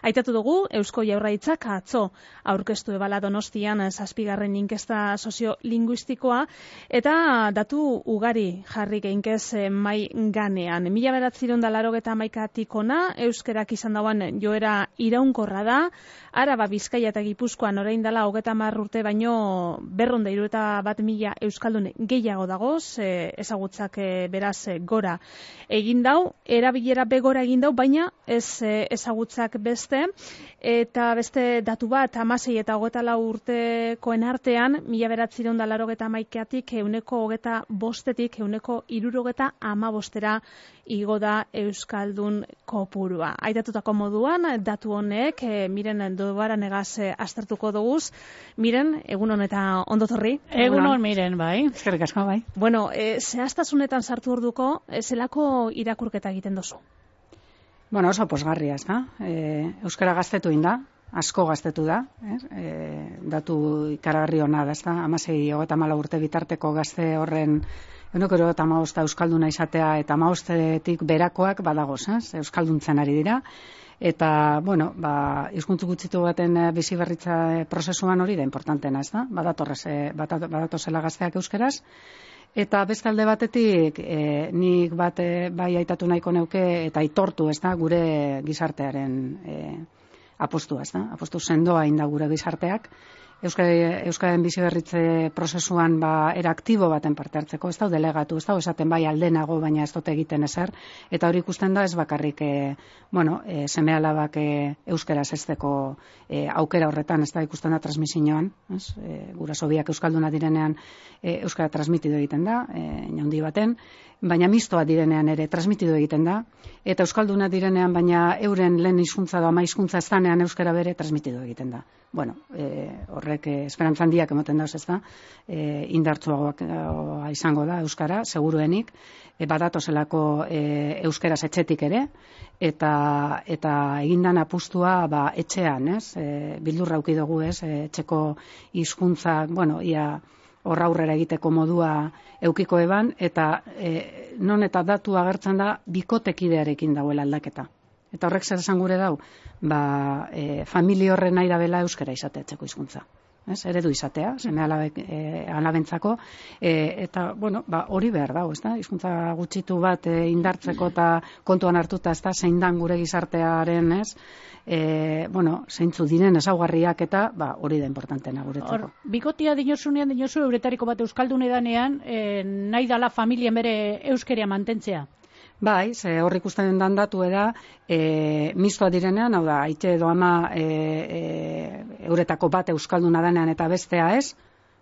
Aitatu dugu, Eusko Jaurlaritzak atzo aurkeztu ebala Donostian 7. inkesta soziolinguistikoa eta datu ugari jarri geinkez mai ganean. 1981tik hona euskerak izan dauan joera iraunkorra da. Araba, Bizkaia eta Gipuzkoan orain dela 30 urte baino 271.000 euskaldun gehiago dagoz, ezagutzak beraz gora egin dau, erabilera begora egin dau, baina ez ezagutzak beste. Eta beste datu bat, 16 eta 24 urtekoen artean, 1981tik 125-tik 165 igo da euskaldun kopurua. Aitatutako moduan, datu honek, Miren Dobaranegaz aztertuko duguz. Miren, egunon eta ondotorri. Egunon, Miren, bai. Eskerrik asko, bai. Bueno, zehaztasunetan sartu orduko, zelako irakurketa egiten dozu? Bueno, oso posgarria, ez da. Euskara gaztetu inda, asko gaztetu da. Datu ikaragarri hona da, ez da. 16-34 urte bitarteko gazte horren 115 euskalduna izatea eta 15tik berakoak badagoz, euskalduntzen ari dira. Eta, bueno, hizkuntza gutxitu baten bizi berritza prozesuan hori da importantena, ez da. Badatozela gazteak euskeraz. Eta beste alde batetik, nik bai aitatu nahiko neuke eta aitortu, ez da, gure gizartearen apostua, ez da. Apostu sendoa inda gure gizarteak. Euskaren biziberritze prozesuan era aktibo baten parte hartzeko, ez da, delegatu, ez da, esaten bai aldenago, baina ez dute egiten ezer, eta hori ikusten da ez bakarrik, seme alabak euskeraz ezteko aukera horretan, ez da, ikusten da transmisioan, guraso biak euskalduna direnean euskara transmitido egiten da, inaundi baten, baina mistoa direnean ere transmitido egiten da, eta euskalduna direnean, baina euren lehen hizkuntza edo ama hizkuntza ez danean euskara bere transmitido egiten da. Bueno, horrek esperantzan handiak emoten dauz, ez da, indartsuagoak izango da euskara, seguruenik, badatozelako euskaraz etxetik ere, eta egindan apustua etxean, ez, bildurra auki dugu, ez, etxeko hizkuntza, bueno, ia horra aurrera egiteko modua eukiko eban, eta non eta datu agertzen da bikotekidearekin dagoela aldaketa. Eta horrek zer esan gure dau, familia horren nahi dabela euskara izatea etxeko hizkuntza. Eredu izatea, seme alabentzako, eta, bueno, hori behar dago, ez da? Hizkuntza gutxitu bat indartzeko eta kontuan hartuta, ez da, zein dan gure gizartearen, ez? Zeintzu diren ezaugarriak eta, hori da importantena guretzako. Bikotia dinosunean, euretariko bat euskaldun edanean, nahi dala familien bere euskeria mantentzea? Bai, hor ikusten den datu da, mistoa direnean, hau da, aite edo ama euretako bat euskalduna danean eta bestea ez,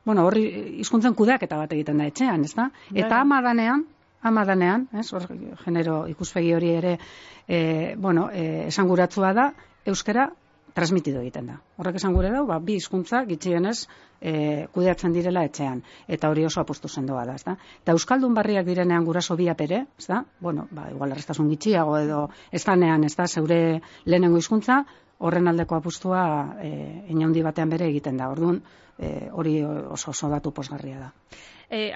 bueno, horri hizkuntzen kudeaketa bat egiten da etxean, ez da? Eta ama danean, ez, hor genero ikuspegi hori ere, esanguratsua da, euskara transmitido egiten da. Horrek esan gure dau, bi hizkuntza gitxienez kudeatzen direla etxean, eta hori oso apostu sendoa da, ezta? Eta euskaldun barriak direnean guraso biak ere, ezta? Bueno, igual errestasun gitxiago edo ez danean, ezta, zeure lehenengo hizkuntza, horren aldeko apustua inaundi batean bere egiten da. Orduan, hori oso datu posgarria da.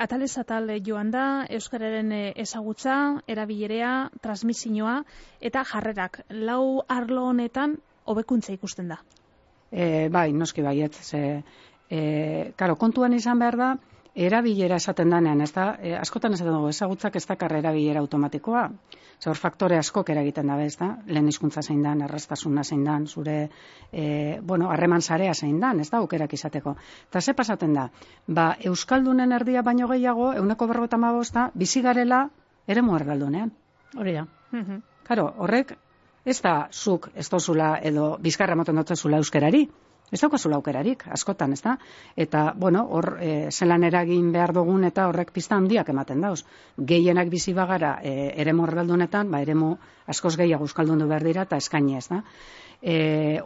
Atalez atal joan da, euskararen ezagutza, erabilerea, transmisioa eta jarrerak. Lau arlo honetan hobekuntza ikusten da. Bai, noski baiet. Karo, kontuan izan behar da, erabilera esaten danean, ez da, askotan esaten dugu, ezagutzak ez dakar erabilera automatikoa. Hor faktore askok eragiten dabe, ez da, lehen hizkuntza zein dan, erraztasuna zein dan, zure, harreman sarea zein dan, ez da, aukerak izateko. Eta ze pasaten da, euskaldunen erdia baino gehiago, 155 bizi garela eremu erdaldunean. Hori da. Karo, horrek, ez da zuk ez dozula edo bizkarra moten dotzezula euskerari. Ez daukazula aukerarik, askotan, ez da? Eta, hor zelan eragin behar dugun eta horrek pista handiak ematen dauz. Gehienak bizi bagara eremu erdaldunetan, eremu askoz gehiago euskaldundu behar dira eta eskaini, ez da?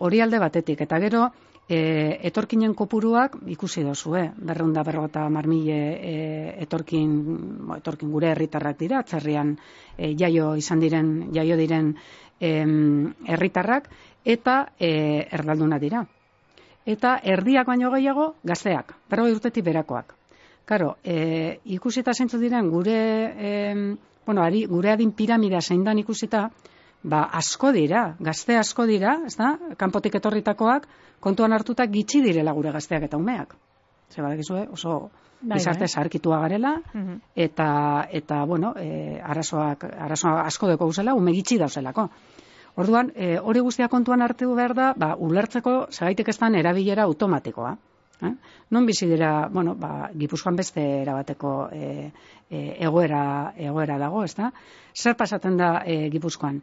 Hori alde batetik, eta gero, etorkinen kopuruak ikusi dozue, 250.000 etorkin gure herritarrak dira, atzerrian jaio diren herritarrak, eta erdalduna dira. Eta erdiak baino gehiago gazteak, 40 urtetik berakoak. Karo, ikusita zeintzu diren gure adin piramidea zein dan ikusita, asko dira, gazte asko dira, ez da, kanpotik etorritakoak, kontuan hartuta gitxi direla gure gazteak eta umeak. Zer badakizue, oso gizarte zaharkitua garela, eta bueno, arazoa asko deko guzela, ume gitxi dauzelako. Orduan, hori guztia kontuan hartu behar da, ulertzeko segaitik ez dan erabilera automatikoa. Non bizi dira, bueno, Gipuzkoan beste erabateko egoera dago, ez da? Zer pasatzen da Gipuzkoan?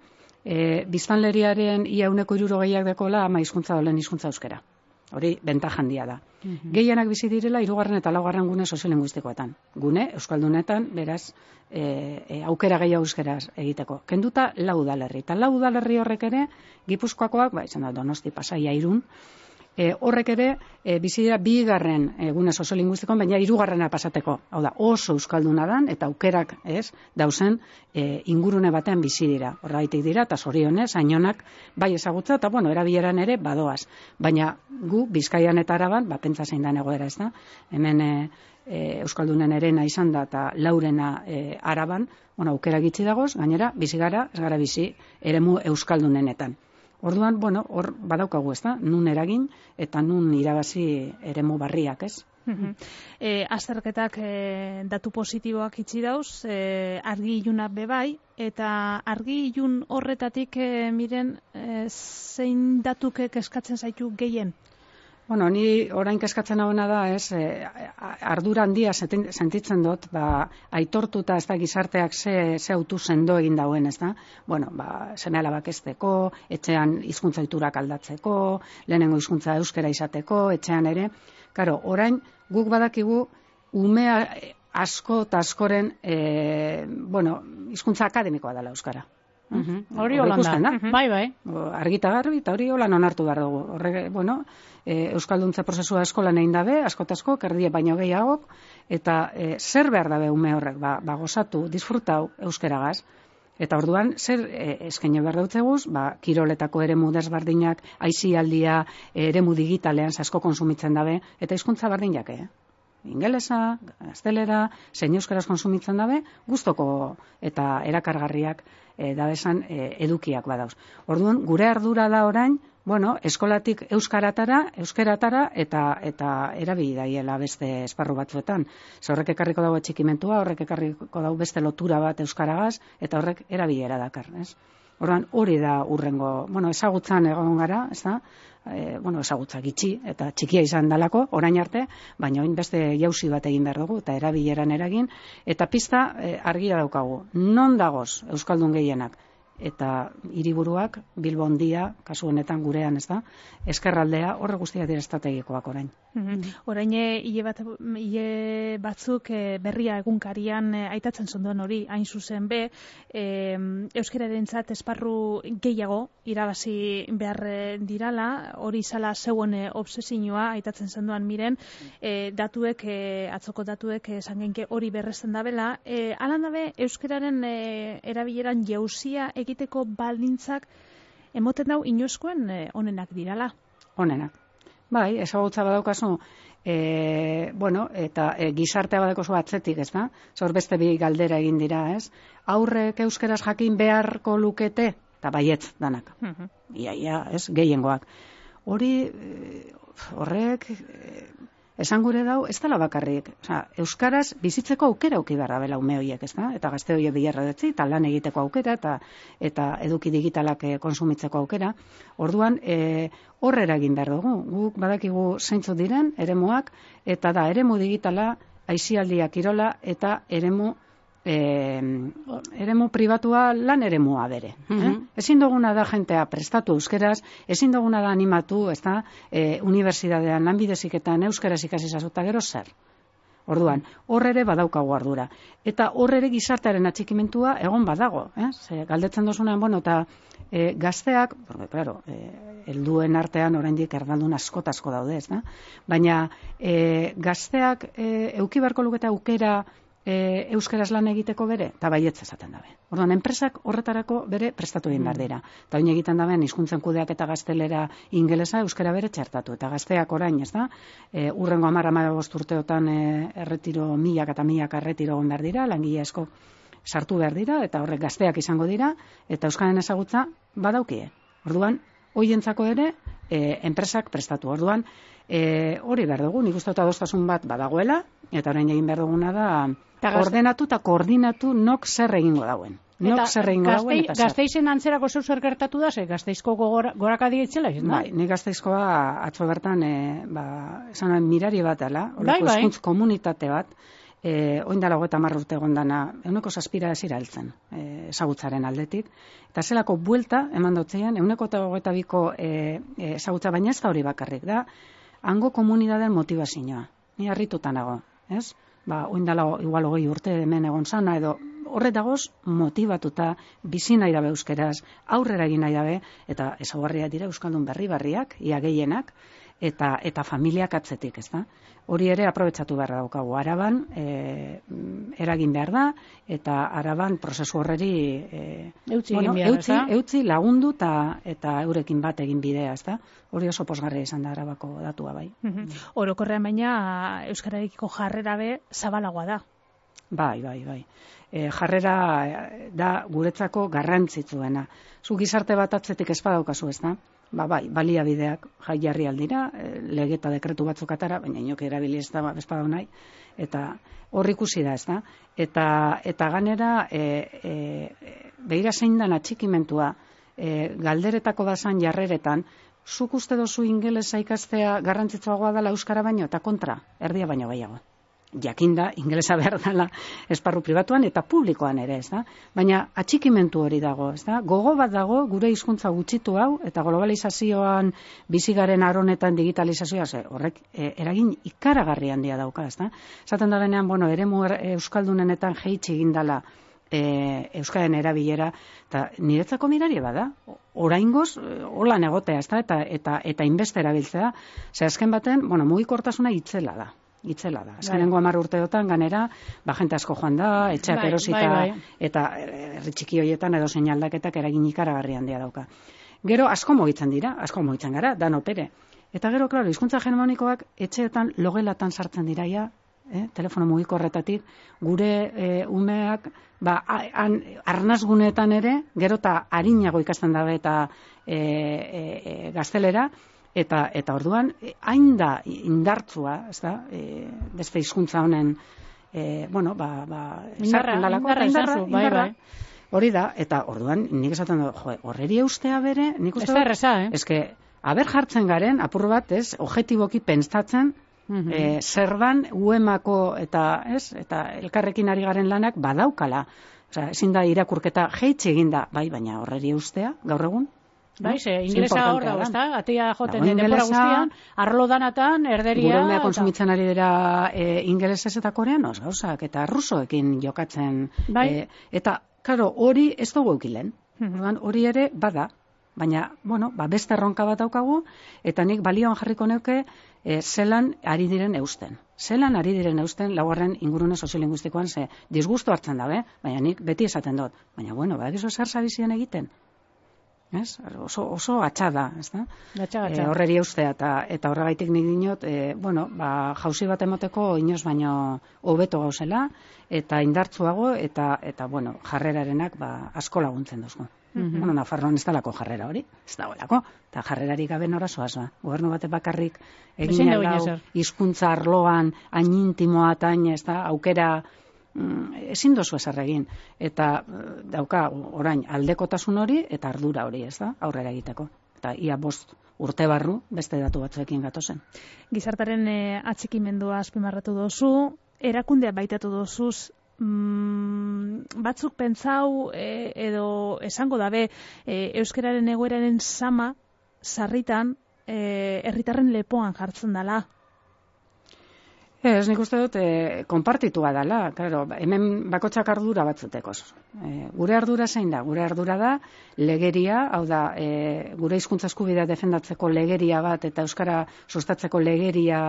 Biztanleriaren ia 60%ak dekola ama hizkuntza dolen hizkuntza euskera. Hori bentaja handia da. Gehienak bizi direla 3. eta 4. gune soziolinguistikoetan. Gune euskaldunetan, beraz, aukera gehiago euskeraz egiteko. Kenduta 4 udalerri. Eta 4 udalerri horrek ere, Gipuzkoakoak, izan da Donosti, Pasaia, Irun, horrek ere bizi dira 2. gune soziolinguistikoan, baina 3. pasateko. Hau da, oso euskalduna dan eta aukerak dauzen ingurune batean bizi dira. Horregaitik dira eta zorionez Ainonak bai ezagutza eta bueno, erabileran ere badoaz. Baina gu Bizkaian eta Araban, pentsa zein dan egoera, ez da? Hemen euskaldunen erena izan da eta laurena Araban, bueno, aukera gitxi dagoz, gainera bizi gara, ez gara bizi eremu euskaldunenetan. Orduan, bueno, hor badaukagu, ez da, nun eragin eta nun irabazi eremu barriak, ez? Azterketak datu positiboak itxi dauz, argi iluna bebai, eta argi ilun horretatik miren zein datukek eskatzen zaitu gehien? Bueno, ni orain kezkatzen hauena da, ardura handia sentitzen dut, aitortuta ez da gizarteak ze autu sendo egin dauen, ez da? Bueno, seme alabak ezteko, etxean hizkuntza ohiturak aldatzeko, lehenengo hizkuntza euskera izateko, etxean ere. Karo, orain guk badakigu umea asko eta askoren, hizkuntza akademikoa dela euskara. Hori holanda, bai. Argita garbi, eta hori holan onartu behar dugu. Horrek, euskalduntza prozesua eskolan egin dabe, asko, erdie baino gehiagok, eta zer behar dabe ume horrek, gozatu, disfrutau euskeragaz, eta orduan zer eskaini behar dautzeguz, kiroletako eremu desberdinak, aisialdia, eremu digitalean asko konsumitzen dabe, eta hizkuntza berdinak, ingelesa, gaztelera, zein euskaraz konsumitzen dabe, gustoko eta erakargarriak dabesan edukiak badauz. Orduan, gure ardura da orain, eskolatik euskeratara eta erabili daiela beste esparru batzuetan. Horrek ekarriko dago atxikimentua, horrek ekarriko dago beste lotura bat euskaragaz, eta horrek erabilera dakar, ez? Orduan, hori da urrengo, ezagutzan egon gara, ez da? Ezagutza gitxi eta txikia izan dalako, orain arte, baina orain beste jauzi bat egin behar dugu, eta erabileran eragin, eta pista argia daukagu. Non dagoz euskaldun gehienak? Eta hiriburuak, Bilbo handia, kasu honetan gurean, ez da, ezkerraldea, horre guztiak dira estrategikoak orain. Orain hile batzuk berria egunkarian aitatzen zonduen hori, hain zuzen be, euskararentzat esparru gehiago irabazi behar dirala, hori izala zeuen obsesioa aitatzen zenduan miren, atzoko datuek esan genke hori berresten dabela, alan dabe euskararen erabileran jauzia egiteko baldintzak emoten dau inoizkoen onenak dirala. Onenak. Bai, ezagutza badaukazu, eta gizartea badaukazu atzetik, ez da? Zor beste bi galdera egin dira, ez? Aurrek euskeraz jakin beharko lukete, eta baietz danak. Ia, ez, gehiengoak. Horrek, esan gure dau, ez dela bakarrik. Euskaraz bizitzeko aukera auki behar dabela ume horiek, ez da? Eta gazte horiek bilarra detzi, eta lan egiteko aukera, eta eduki digitalak konsumitzeko aukera. Orduan, horrera egin behar dugu. Guk badakigu zeintzu diren, eremuak, eta da, eremu digitala, aisialdia kirola, eta eremu pribatua lan eremua bere. Ezin duguna da jentea prestatu euskeraz, ezin duguna da animatu, ez da, unibertsitatean, lanbideziketan, euskeraz ikasi zazuta gero zer. Orduan, horre ere badaukagu ardura. Eta horre ere gizartearen atxikimentua egon badago. Galdetzen dozunean, eta gazteak, claro, helduen artean oraindik erdaldun asko daude, ez da? Baina gazteak euki beharko lukete aukera euskeraz lan egiteko bere, eta baietz esaten dabe. Orduan, enpresak horretarako bere prestatu egin behar dira. Eta oin egiten daben, hizkuntzen kudeak eta gaztelera ingelesa euskera bere txertatu. Eta gazteak orain, ez da, urrengo 10-15 urteotan erretiro, milak eta milak erretiro egon behar dira, langile asko sartu behar dira, eta horrek gazteak izango dira, eta euskararen ezagutza badaukie. Orduan, hoientzako ere, enpresak prestatu. Orduan, hori behar dugu, nik uste dut adostasun bat badagoela, eta orain egin behar duguna da, ordenatu eta koordinatu nok zer egingo dauen. Nok zer egingo dauen eta zer. Gasteizen antzerako zer gertatu da, Gasteizko gorakadi itzela, ez da? Bai, nik Gasteizkoa atzo bertan, esan mirari bat dela, horreko hizkuntz komunitate bat, oin dala 30 urte gondana, 107 ezira heltzen, ezagutzaren aldetik, eta zelako buelta eman dutzean, 122ko ezagutza, baina ez da hori bakarrik, da, hango komunidadean motivazioa, ni harrituta nago, ez? Oin dala igual 20 urte hemen egon sana, edo horretagoz motibatuta, bizi nahi dabe euskeraz, aurrera egin nahi dabe, eta ezaugarriak dira euskaldun berri-berriak, ia gehienak, eta familiak atzetik, ez da? Hori ere aprobetxatu behar daukagu. Araban, eragin behar da, eta araban prozesu horreri eutzi lagundu eta eurekin bat egin bidea, ez da? Hori oso posgarria izan da Arabako datua bai. Orokorrean baina euskararekiko jarrera be zabalagoa da. Bai. Jarrera da guretzako garrantzitsuena. Zu gizarte bat atzetik ez badaukazu, ez da? Bai, baliabideak jarri aldira, lege eta dekretu batzuk atara, baina inok erabili ez badau nahi, eta hor ikusi da, ez da? Eta ganera, behira zein dan atxikimentua, galderetako dazan jarreretan, zuk uste dozu ingelesa ikastea garrantzitsuagoa dela euskara baino, eta kontra, erdia baino gehiago. Jakinda, ingelesa behar dela esparru pribatuan eta publikoan ere, ez da? Baina atxikimentu hori dago, ez da? Gogo bat dago, gure hizkuntza gutxitu hau, eta globalizazioan bizigaren aronetan digitalizazioa, horrek eragin ikaragarri handia dauka, ez da? Zaten da benean, eremu euskaldunenetan jeitsi egindala euskaren erabilera, eta niretzako mirari bada, oraingoz, holan egotea, ez da? Eta inbeste erabiltzea, ze azken baten, mugikortasuna itzela da. Azkenengo 10 urteotan ganera, jente asko joan da, etxeak erosita, eta herri txiki horietan edo seinaldaketak eragin ikaragarri handia dauka. Gero asko mugitzen gara, dan opere. Eta gero, klaro, hizkuntza hegemonikoak etxeetan logelatan sartzen diraia, telefono mugikorretatik, gure umeak, arnazguneetan ere, gero eta harinago ikasten dabe eta gaztelera, eta orduan, hain da indartzua, ez da, beste hizkuntza honen, indarra, hori da, eta orduan, nik esaten du, horreri eustea bere, nik uste dut, eske, aber jartzen garen, apur bat, objetiboki pentsatzen, zerban uemako eta elkarrekin ari garen lanak badaukala. Ezin da irakurketa jeitsi eginda, baina horreri eustea, gaur egun. Inglesa hor dago, ezta? Atea joten denbora guztian, arlo danatan, erderia... Gure umea kontsumitzen ari dira ingelesez eta koreanoz gauzak, eta rusoekin jokatzen. Eta, karo, hori ez dugu eukilen. Hori ere bada, baina, beste erronka bat daukagu, eta nik balioan jarriko neuke zelan ari diren eusten. Zelan ari diren eusten laugarren ingurune soziolinguistikoan, ze disgustu hartzen dabe, baina nik beti esaten dut. Baina, badakizu zer zabizien egiten. Oso atxada, ez da? Horreri eustea, eta horregaitik nik dinot, jauzi bat emoteko inoz baino hobeto gauzela, eta indartzuago, eta jarrerarenak asko laguntzen duzko. Nafarroan ez dalako jarrera hori, ez dagoelako, eta jarrerarik gabe nora zoaz, gobernu batek bakarrik egin lau hizkuntza arloan, hain intimoa eta hain, ez da, aukera ezin dozu ezer egin, eta dauka orain aldekotasun hori eta ardura hori, ez da, aurrera egiteko. Eta ia 5 urte barru beste datu batzuekin gatozen. Gizartaren atxikimendua azpimarratu dozu, erakundea baitatu dozuz, batzuk pentsau edo esango dabe euskararen egoeraren sama sarritan herritarren lepoan jartzen dela. Ez, nik uste dut, konpartitua dela, claro, hemen bakotxak ardura batzutekoz. Gure ardura zein da? Gure ardura da legeria, hau da, gure hizkuntza eskubidea defendatzeko legeria bat eta euskara sustatzeko legeria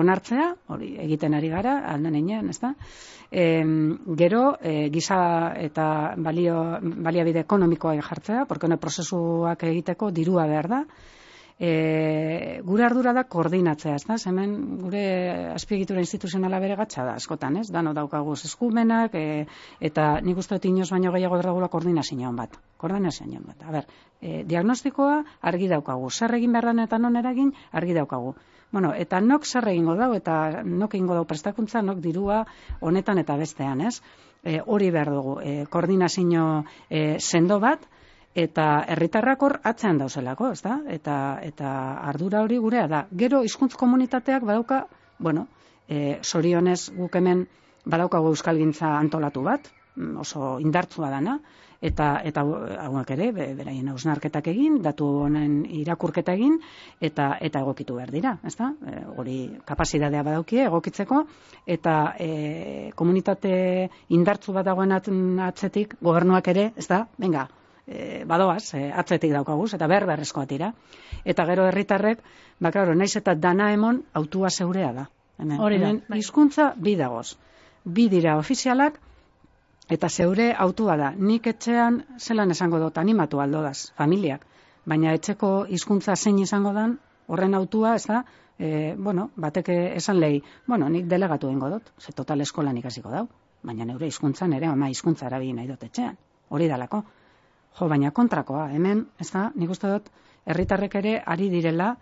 onartzea, hori egiten ari gara, alden einean, ez da? Gero, giza eta baliabide ekonomikoa jartzea, porque prozesuak egiteko dirua behar da, Gure ardura da koordinatzea, ez da? Hemen gure azpiegitura instituzionala bere gatza da, askotan, ez? Dano daukaguz eskumenak, eta nik uste dut inoz baino gehiago berregula koordinazioan bat. A ber, diagnostikoa argi daukagu, zer egin behar den eta non eragin argi daukagu. Bueno, eta nok zer egingo dau, eta nok egingo dau prestakuntza, nok dirua honetan eta bestean, ez? Hori behar dugu, koordinazio sendo bat, eta herritarrak hor atzean dauzelako, ez da? Eta ardura hori gurea da. Gero hizkuntz komunitateak badauka, bueno, zorionez guk hemen badaukagu euskalgintza antolatu bat, oso indartsua dana, eta hauek ere, beraien hausnarketak egin, datu honen irakurketa egin, eta egokitu behar dira, ez da? Hori kapazitatea badaukie egokitzeko, eta komunitate indartsu bat dagoen atzetik, gobernuak ere, ez da? Venga, badoaz, atzetik daukaguz, eta berrezkoa dira. Eta gero herritarrek, klaro, naiz eta dana emon, autua zeurea da. Hemen hizkuntza bi dagoz. Bi dira ofizialak, eta zeure autua da. Nik etxean zelan esango dut, animatu aldodaz, familiak. Baina etxeko hizkuntza zein izango dan, horren autua, ez da, batek esan lehi, nik delegatu egingo dut, ze total eskolan ikasiko dau, baina neure hizkuntzan ere, ama hizkuntza erabili nahi dut etxean, hori dalako. Baina kontrakoa, hemen, ez da, nik uste dut, herritarrak ari direla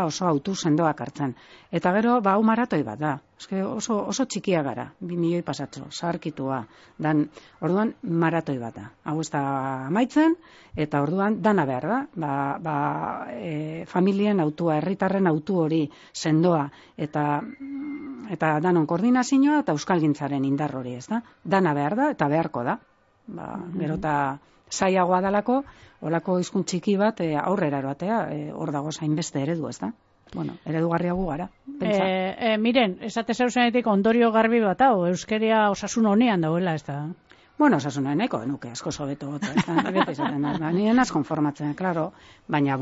oso autu sendoak hartzen. Eta gero, hau maratoi bat da. Oso txikia gara, 2 milioi pasatxo, zaharkitua. Orduan, maratoi bat da. Hau ez da amaitzen, eta orduan, dana behar da. Familien autua, herritarren autu hori sendoa, eta danon koordinazioa, eta euskalgintzaren indar hori, ez da. Dana behar da, eta beharko da. Gero eta zaiagoa dalako, olako hizkuntz txiki bat aurrera eroatea, hor dago zainbeste eredu, ez da? Eredugarriago gara. Miren, esate zeuzenetik ondorio garbi bat hau, euskeria osasun honean dauela, ez da? Osasun nahiko genuke, asko sobeto gota, ez da? Nien az konformatzen, klaro, baina,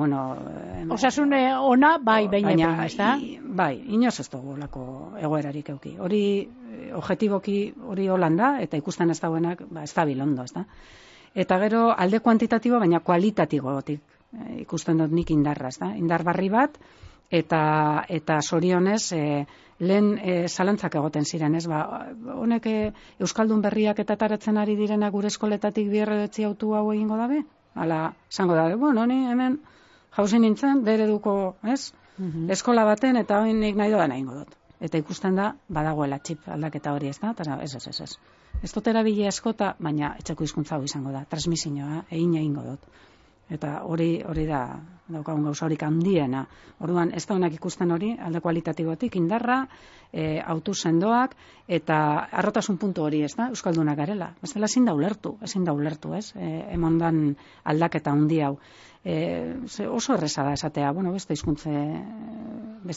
osasun ona, baina, ez da? Bai, inoz ez dugu olako egoerarik euki. Hori, objetiboki hori holanda, eta ikusten ez dauenak, ez da bilondo, ez da? Eta gero, alde kuantitatibo, baina kualitatibotik ikusten dut nik indarra, ez da? Indar barri bat, eta zorionez, lehen zalantzak egoten ziren, ez? Honek euskaldun berriak eta taratzen ari direna gure eskoletatik bierredetzi autu hau egingo dabe? Hala, zango dabe, ni hemen jauzi nintzen, dereduko, ez? Eskola baten, eta hori nik nahi doan egingo dut. Eta ikusten da, badagoela txip aldaketa hori, ez da? Ez. Ez dut erabile askota, baina etxeko hizkuntza hau izango da. Transmisioa, egingo dut. Eta hori da, daukagun gauza horik handiena. Orduan, ez da honak ikusten hori, alde kualitatibotik, indarra, autu sendoak, eta arrotasun puntu hori, ez da, euskaldunak garela. Bestela ezin da ulertu, ez? Emondan aldaketa handi hau. Oso erreza da esatea, beste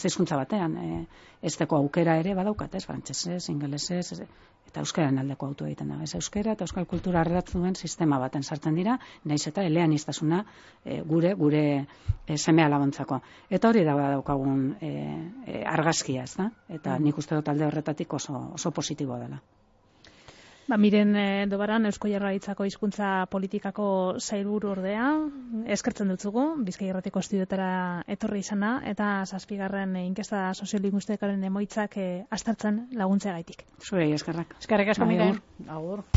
hizkuntza batean, ez deko aukera ere badaukat, ez? Frantsesez, ingelesez, eta euskaren aldeko autu egiten da. Ez euskara eta euskal kultura ardatzu duen sistema baten sartzen dira, naiz eta eleaniztasuna gure semea laguntzako. Eta hori da daukagun argazkia, ez da? Eta nik uste dut alde horretatik oso positibo dela. Miren Dobaran, Eusko Jaurlaritzako hizkuntza politikako sailburu ordea, eskertzen dutzugu, Bizkai Irratiko estudioetara etorri izana, eta 7. inkesta soziolinguistikaren emaitzak aztertzen laguntzeagaitik. Zurei eskerrak. Eskerrik asko, Miren. Agur.